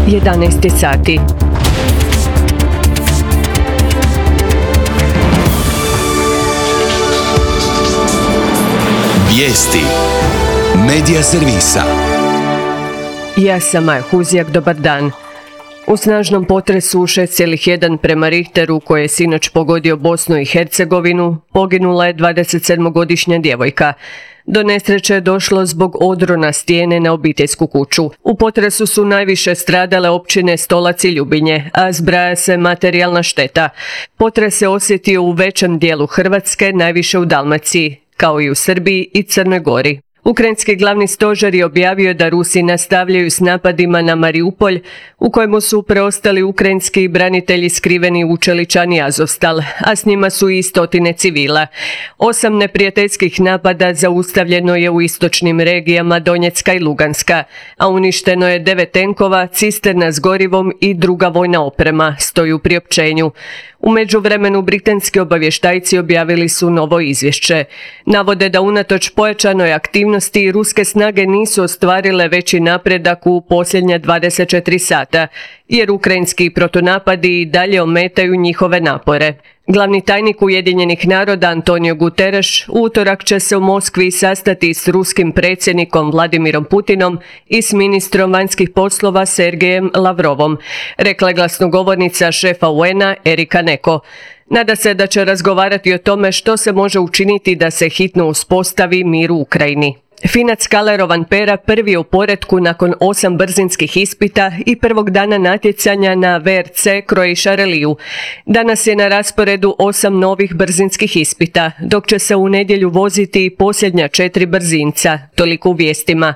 11 sati. Vijesti Medija servisa. Ja sam Maja Huzjak, dobar dan. U snažnom potresu 6,1 prema Richteru koji je sinoć pogodio Bosnu i Hercegovinu, poginula je 27-godišnja djevojka. Do nesreće je došlo zbog odrona stijene na obiteljsku kuću. U potresu su najviše stradale općine Stolac i Ljubinje, a zbraja se materijalna šteta. Potres se osjetio u većem dijelu Hrvatske, najviše u Dalmaciji, kao i u Srbiji i Crnoj Gori. Ukrajinski glavni stožer je objavio da Rusi nastavljaju s napadima na Mariupolj, u kojemu su preostali ukrajinski branitelji skriveni u Čeličani Azovstal, a s njima su i stotine civila. 8 neprijateljskih napada zaustavljeno je u istočnim regijama Donjecka i Luganska, a uništeno je 9 tenkova, cisterna s gorivom i druga vojna oprema, stoji u priopćenju. U međuvremenu britanski obavještajci objavili su novo izvješće. Navode da unatoč pojačanoj aktivnosti ruske snage nisu ostvarile veći napredak u posljednja 24 sata, jer ukrajinski protunapadi i dalje ometaju njihove napore. Glavni tajnik Ujedinjenih naroda Antonio Guterres u utorak će se u Moskvi sastati s ruskim predsjednikom Vladimirom Putinom i s ministrom vanjskih poslova Sergejem Lavrovom, rekla je glasnogovornica šefa UN-a Erika Neko. Nada se da će razgovarati o tome što se može učiniti da se hitno uspostavi mir u Ukrajini. Finac Kalle Rovanpera prvi je u poretku nakon 8 brzinskih ispita i prvog dana natjecanja na WRC Croatia Rallyju. Danas je na rasporedu 8 novih brzinskih ispita, dok će se u nedjelju voziti posljednja 4 brzinca, toliko u vijestima.